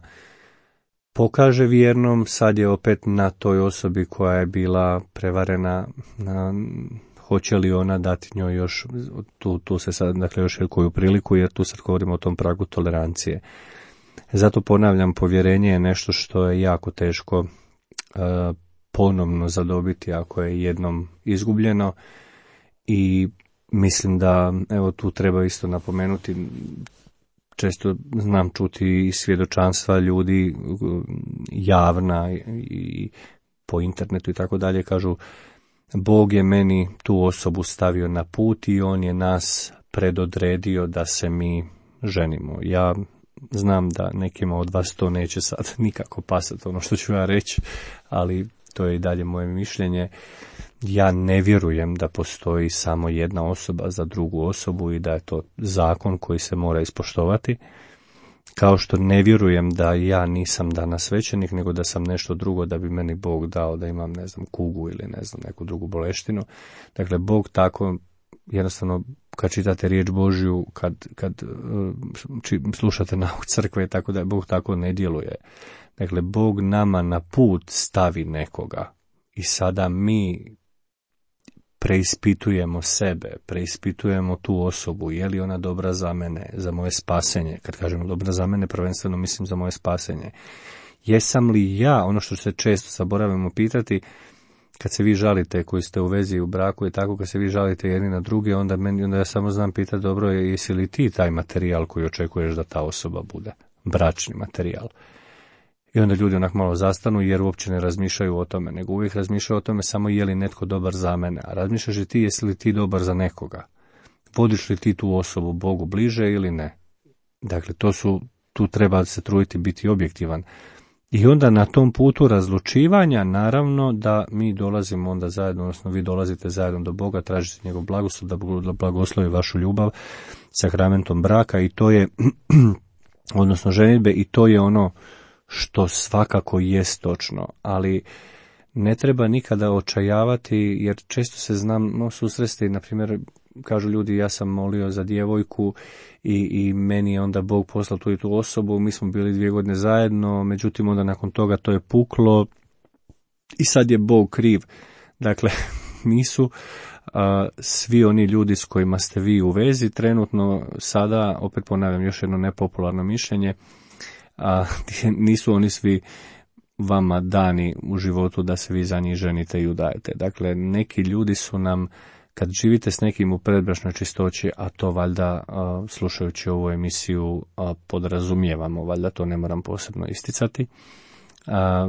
pokaže vjernom, sad je opet na toj osobi koja je bila prevarena, hoće li ona dati njoj još, tu se sad, dakle, još koju priliku, jer tu sad govorimo o tom pragu tolerancije. Zato ponavljam, povjerenje je nešto što je jako teško ponovno zadobiti ako je jednom izgubljeno i mislim da, evo tu treba isto napomenuti, često znam čuti i svjedočanstva ljudi javna i po internetu i tako dalje, kažu Bog je meni tu osobu stavio na put i on je nas predodredio da se mi ženimo. Ja znam da nekima od vas to neće sad nikako pasati ono što ću ja reći, ali to je i dalje moje mišljenje. Ja ne vjerujem da postoji samo jedna osoba za drugu osobu i da je to zakon koji se mora ispoštovati. Kao što ne vjerujem da ja nisam danas svećenik, nego da sam nešto drugo, da bi meni Bog dao da imam, ne znam, kugu ili ne znam, neku drugu boleštinu. Dakle, Bog tako, jednostavno, kad čitate riječ Božju, kad slušate nauk crkve, tako da Bog tako ne djeluje. Dakle, Bog nama na put stavi nekoga i sada mi preispitujemo sebe, preispitujemo tu osobu, je li ona dobra za mene, za moje spasenje. Kad kažem dobra za mene, prvenstveno mislim za moje spasenje. Jesam li ja, ono što se često zaboravimo pitati, kad se vi žalite koji ste u vezi u braku i tako, kad se vi žalite jedni na druge, onda ja samo znam pitati, dobro, jesi li ti taj materijal koji očekuješ da ta osoba bude? Bračni materijal. I onda ljudi onak malo zastanu jer uopće ne razmišljaju o tome, nego uvijek razmišljaju o tome samo je li netko dobar za mene. A razmišljaš i ti jesi li ti dobar za nekoga. Vodiš li ti tu osobu Bogu bliže ili ne. Dakle, tu treba se truditi biti objektivan. I onda na tom putu razlučivanja, naravno da mi dolazimo onda zajedno, odnosno vi dolazite zajedno do Boga, tražite njegov blagoslov, da blagoslovi vašu ljubav sakramentom braka i to je, odnosno ženidbe, i to je ono što svakako jest točno, ali ne treba nikada očajavati, jer često se znam susresti, na primjer, kažu ljudi, ja sam molio za djevojku i meni je onda Bog poslao tu i tu osobu, mi smo bili 2 godine zajedno, međutim onda nakon toga to je puklo i sad je Bog kriv. Dakle, nisu svi oni ljudi s kojima ste vi u vezi trenutno sada, opet ponavljam još jedno nepopularno mišljenje, nisu oni svi vama dani u životu da se vi za njih ženite i udajete. Dakle, neki ljudi su nam, kad živite s nekim u predbračnoj čistoći, a to valjda slušajući ovu emisiju podrazumijevamo, valjda to ne moram posebno isticati,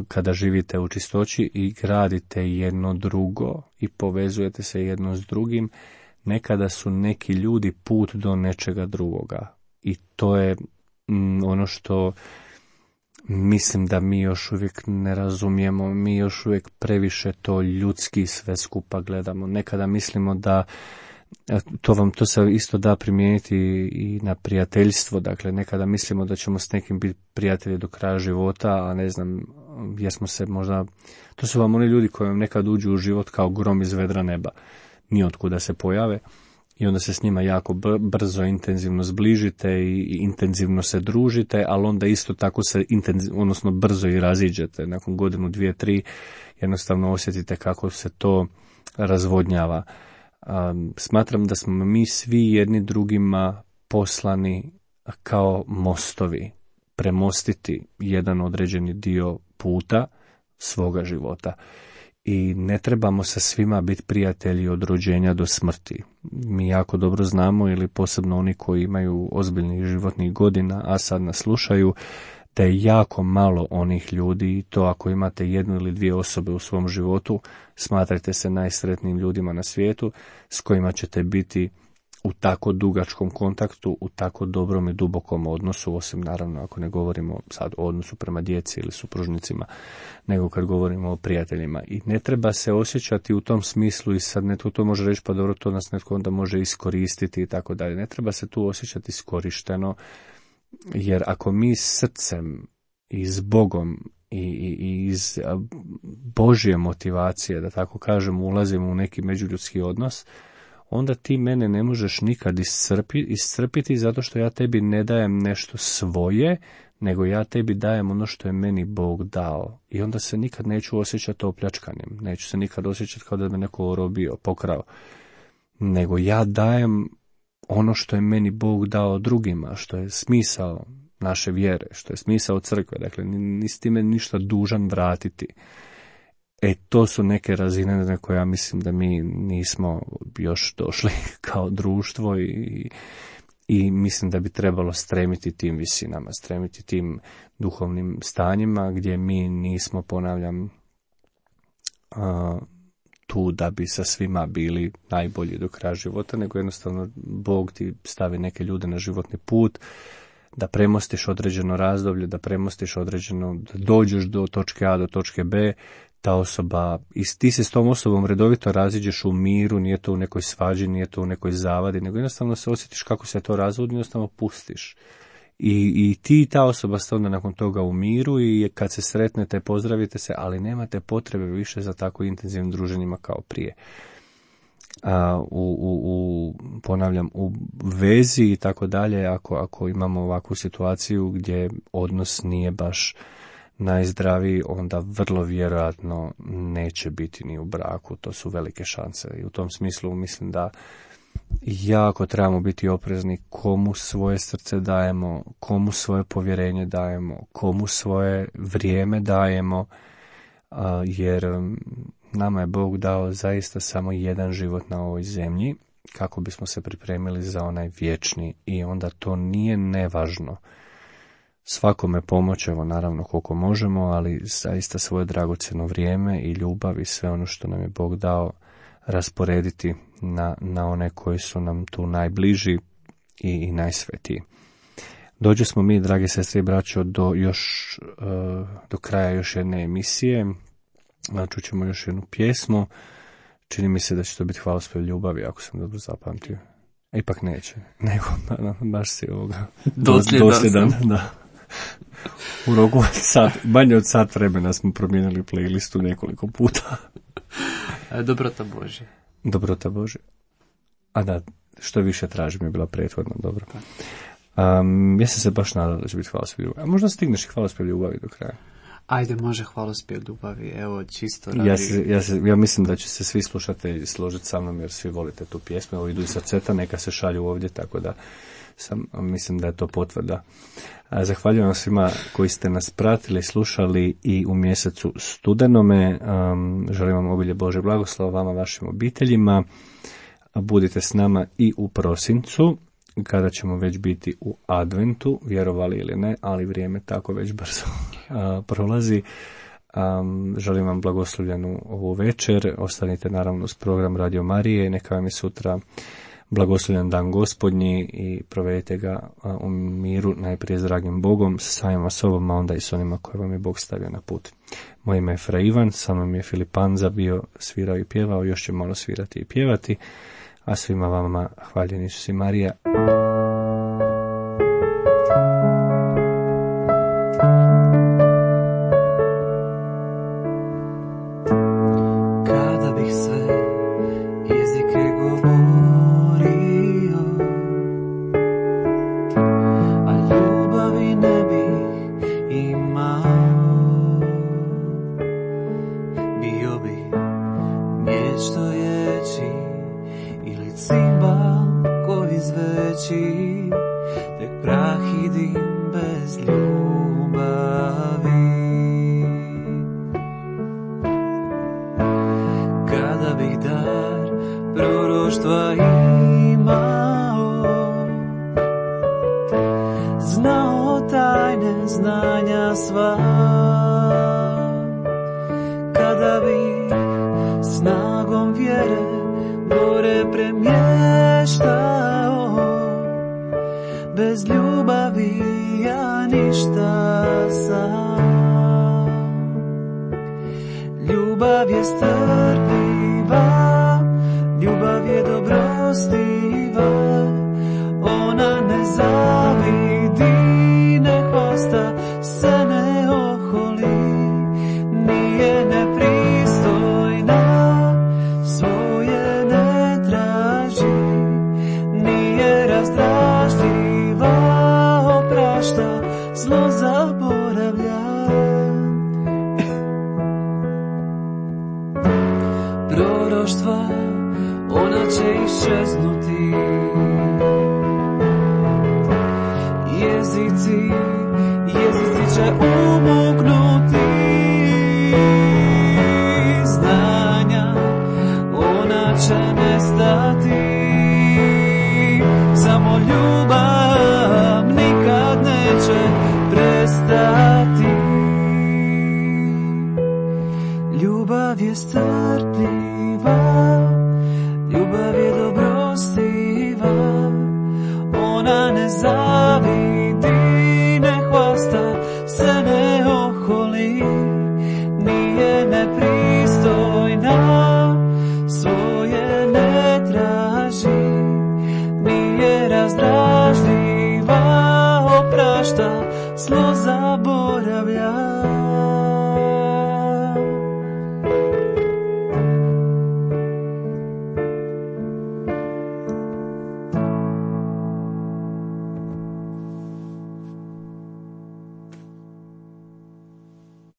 kada živite u čistoći i gradite jedno drugo i povezujete se jedno s drugim, nekada su neki ljudi put do nečega drugoga. I to je ono što mislim da mi još uvijek ne razumijemo, mi još uvijek previše to ljudski sve skupa gledamo. Nekada mislimo da, to se isto da primijeniti i na prijateljstvo, dakle nekada mislimo da ćemo s nekim biti prijatelji do kraja života, a ne znam, jer smo se možda, to su vam oni ljudi koji vam nekad uđu u život kao grom iz vedra neba, nijotkuda se pojave. I onda se s njima jako brzo, intenzivno zbližite i intenzivno se družite, ali onda isto tako se odnosno brzo i raziđete. Nakon godinu, 2, 3 jednostavno osjetite kako se to razvodnjava. Smatram da smo mi svi jedni drugima poslani kao mostovi, premostiti jedan određeni dio puta svoga života. I ne trebamo sa svima biti prijatelji od rođenja do smrti. Mi jako dobro znamo, ili posebno oni koji imaju ozbiljnih životnih godina, a sad nas slušaju, da je jako malo onih ljudi, i to ako imate 1 ili 2 osobe u svom životu, smatrajte se najsretnijim ljudima na svijetu, s kojima ćete biti u tako dugačkom kontaktu, u tako dobrom i dubokom odnosu, osim naravno ako ne govorimo sad o odnosu prema djeci ili supružnicima, nego kad govorimo o prijateljima. I ne treba se osjećati u tom smislu, i sad netko to može reći, pa dobro, to nas netko onda može iskoristiti i tako dalje. Ne treba se tu osjećati iskorišteno, jer ako mi srcem i s Bogom i iz Božje motivacije, da tako kažem, ulazimo u neki međuljudski odnos, onda ti mene ne možeš nikad iscrpiti zato što ja tebi ne dajem nešto svoje, nego ja tebi dajem ono što je meni Bog dao. I onda se nikad neću osjećati opljačkanim, neću se nikad osjećati kao da me neko orobio, pokrao, nego ja dajem ono što je meni Bog dao drugima, što je smisao naše vjere, što je smisao crkve. Dakle, nisi ti meni ništa dužan vratiti. To su neke razine na koje ja mislim da mi nismo još došli kao društvo i mislim da bi trebalo stremiti tim visinama, stremiti tim duhovnim stanjima gdje mi nismo, ponavljam, tu da bi sa svima bili najbolji do kraja života, nego jednostavno Bog ti stavi neke ljude na životni put, da premostiš određeno razdoblje, da premostiš određeno, da dođeš do točke A do točke B, ta osoba, i ti se s tom osobom redovito raziđeš u miru, nije to u nekoj svađi, nije to u nekoj zavadi, nego jednostavno se osjetiš kako se to razvodi, jednostavno pustiš. I ti i ta osoba ste onda nakon toga u miru i kad se sretnete, pozdravite se, ali nemate potrebe više za tako intenzivnim druženjima kao prije. Ponavljam, u vezi i tako dalje, ako imamo ovakvu situaciju gdje odnos nije baš najzdraviji, onda vrlo vjerojatno neće biti ni u braku, to su velike šanse. I u tom smislu mislim da jako trebamo biti oprezni komu svoje srce dajemo, komu svoje povjerenje dajemo, komu svoje vrijeme dajemo, jer nama je Bog dao zaista samo jedan život na ovoj zemlji kako bismo se pripremili za onaj vječni, i onda to nije nevažno svakome pomoći, evo naravno koliko možemo, ali zaista svoje dragocjeno vrijeme i ljubav i sve ono što nam je Bog dao rasporediti na one koji su nam tu najbliži i najsvetiji. Dođe smo mi, dragi sestre i braćo, do kraja još jedne emisije. Čućemo još jednu pjesmu. Čini mi se da će to biti hvalospjev ljubavi, ako sam dobro zapamtio. Ipak neće, nego baš si ovoga dosljedan. Da. U roku manje od sat vremena smo promijenili playlistu nekoliko puta. Dobrota Božja. A da, što više tražim je bila prethodno dobro. Ja sam se baš nadala da će biti hvalospjev ljubavi. A možda stigneš i hvalospjev ljubavi do kraja? Ajde, može hvalospjev ljubavi, evo čisto radi. Ja mislim da će se svi slušatelji složiti sa mnom jer svi volite tu pjesmu. Evo idu i srceta, neka se šalju ovdje, tako da mislim da je to potvrda. Zahvaljujem svima koji ste nas pratili, slušali i u mjesecu studenome. Želim vam obilje Bože blagoslova vama, vašim obiteljima. Budite s nama i u prosincu, kada ćemo već biti u adventu, vjerovali ili ne, ali vrijeme tako već brzo prolazi. Želim vam blagoslovljenu ovu večer. Ostanite naravno uz program Radio Marije. Neka vam je sutra blagoslovljen dan Gospodnji i provedite ga u miru, najprije s dragim Bogom, sa samima sobom, a onda i s onima koje vam je Bog stavio na put. Moje ime je Fra Ivan, sa mnom je Filip Panza bio, svirao i pjevao, još će malo svirati i pjevati, a svima vama hvaljen Isus i Marija. Zlo zaboravlja.